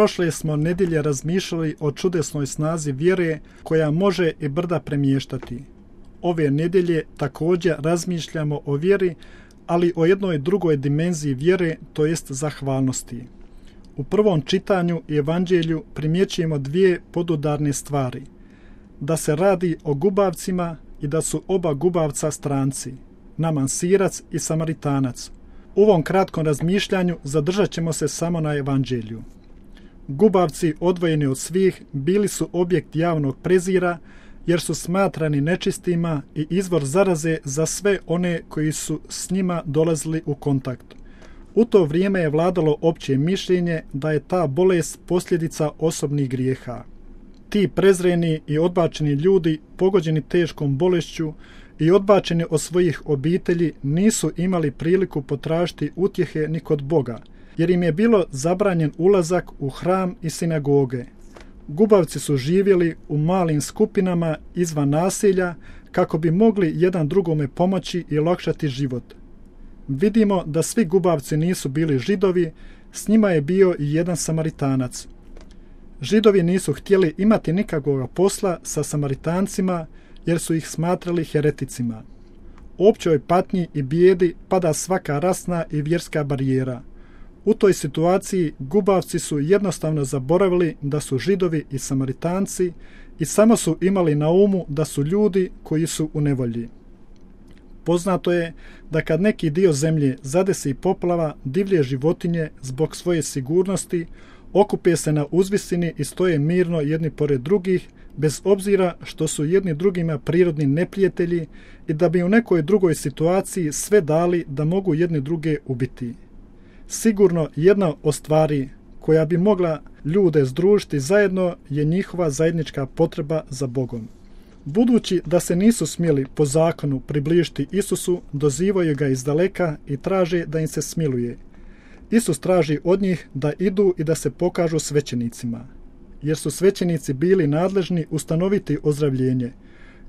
Prošle smo nedjelje razmišljali o čudesnoj snazi vjere koja može i brda premještati. Ove nedjelje također razmišljamo o vjeri, ali o jednoj drugoj dimenziji vjere, to jest zahvalnosti. U prvom čitanju i evanđelju primjećujemo dvije podudarne stvari. Da se radi o gubavcima i da su oba gubavca stranci, Naman Sirac i Samaritanac. U ovom kratkom razmišljanju zadržat ćemo se samo na evanđelju. Gubavci, odvojeni od svih, bili su objekt javnog prezira, jer su smatrani nečistima i izvor zaraze za sve one koji su s njima dolazili u kontakt. U to vrijeme je vladalo opće mišljenje da je ta bolest posljedica osobnih grijeha. Ti prezreni i odbačeni ljudi, pogođeni teškom bolešću i odbačeni od svojih obitelji, nisu imali priliku potražiti utjehe ni kod Boga, jer im je bilo zabranjen ulazak u hram i sinagoge. Gubavci su živjeli u malim skupinama izvan naselja kako bi mogli jedan drugome pomoći i olakšati život. Vidimo da svi gubavci nisu bili Židovi, s njima je bio i jedan Samaritanac. Židovi nisu htjeli imati nikakvog posla sa Samaritancima jer su ih smatrali hereticima. U općoj patnji i bijedi pada svaka rasna i vjerska barijera. U toj situaciji gubavci su jednostavno zaboravili da su Židovi i Samaritanci i samo su imali na umu da su ljudi koji su u nevolji. Poznato je da kad neki dio zemlje zadesi poplava, divlje životinje zbog svoje sigurnosti okupe se na uzvisini i stoje mirno jedni pored drugih, bez obzira što su jedni drugima prirodni neprijatelji i da bi u nekoj drugoj situaciji sve dali da mogu jedni druge ubiti. Sigurno jedna od stvari koja bi mogla ljude združiti zajedno je njihova zajednička potreba za Bogom. Budući da se nisu smjeli po zakonu približiti Isusu, dozivaju ga izdaleka i traže da im se smiluje. Isus traži od njih da idu i da se pokažu svećenicima, jer su svećenici bili nadležni ustanoviti ozdravljenje.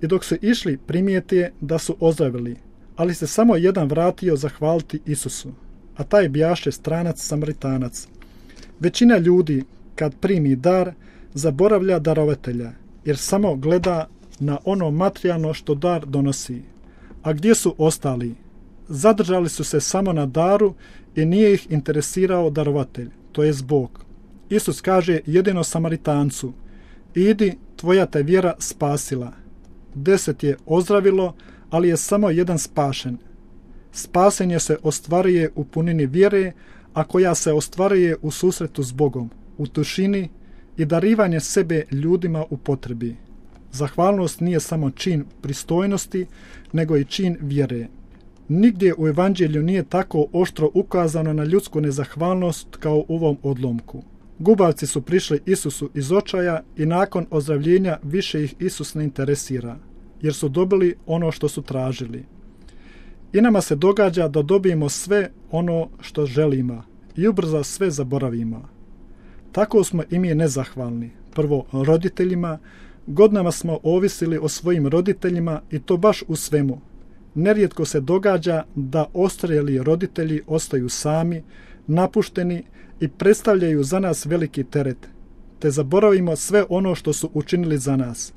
I dok su išli, primijete da su ozdravili, ali se samo jedan vratio zahvaliti Isusu, a taj bijaše stranac Samaritanac. Većina ljudi, kad primi dar, zaboravlja darovatelja, jer samo gleda na ono materijalno što dar donosi. A gdje su ostali? Zadržali su se samo na daru i nije ih interesirao darovatelj, to jest Bog. Isus kaže jedino Samaritancu: idi, tvoja te vjera spasila. 10 je ozdravilo, ali je samo jedan spašen. Spasenje se ostvaruje u punini vjere, a koja se ostvaruje u susretu s Bogom, u tišini i darivanje sebe ljudima u potrebi. Zahvalnost nije samo čin pristojnosti, nego i čin vjere. Nigdje u evanđelju nije tako oštro ukazano na ljudsku nezahvalnost kao u ovom odlomku. Gubavci su prišli Isusu iz očaja i nakon ozdravljenja više ih Isus ne interesira, jer su dobili ono što su tražili. I nama se događa da dobijemo sve ono što želimo i ubrzo sve zaboravimo. Tako smo i mi nezahvalni. Prvo roditeljima, godinama smo ovisili o svojim roditeljima i to baš u svemu. Nerijetko se događa da ostarjeli roditelji ostaju sami, napušteni i predstavljaju za nas veliki teret, te zaboravimo sve ono što su učinili za nas.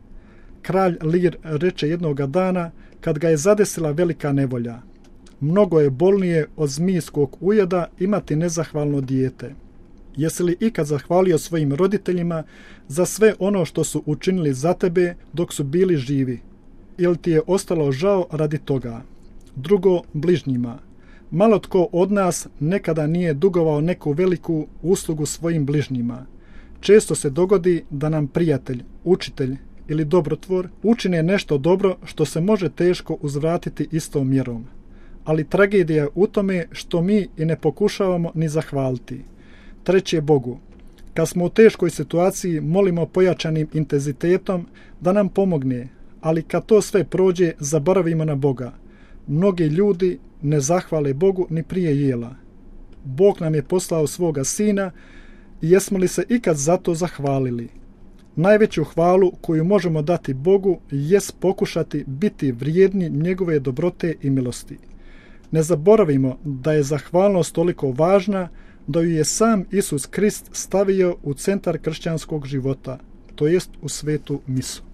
Kralj Lir reče jednoga dana, kad ga je zadesila velika nevolja: mnogo je bolnije od zmijskog ujeda imati nezahvalno dijete. Jesi li ikad zahvalio svojim roditeljima za sve ono što su učinili za tebe dok su bili živi? Ili ti je ostalo žao radi toga? Drugo, bližnjima. Malo tko od nas nekada nije dugovao neku veliku uslugu svojim bližnjima. Često se dogodi da nam prijatelj, učitelj ili dobrotvor učine nešto dobro što se može teško uzvratiti istom mjerom. Ali tragedija je u tome što mi i ne pokušavamo ni zahvaliti. Treće, Bogu. Kad smo u teškoj situaciji, molimo pojačanim intenzitetom da nam pomogne, ali kad to sve prođe, zaboravimo na Boga. Mnogi ljudi ne zahvale Bogu ni prije jela. Bog nam je poslao svoga Sina i jesmo li se ikad za to zahvalili? Najveću hvalu koju možemo dati Bogu jest pokušati biti vrijedni njegove dobrote i milosti. Ne zaboravimo da je zahvalnost toliko važna da ju je sam Isus Krist stavio u centar kršćanskog života, to jest u svetu misu.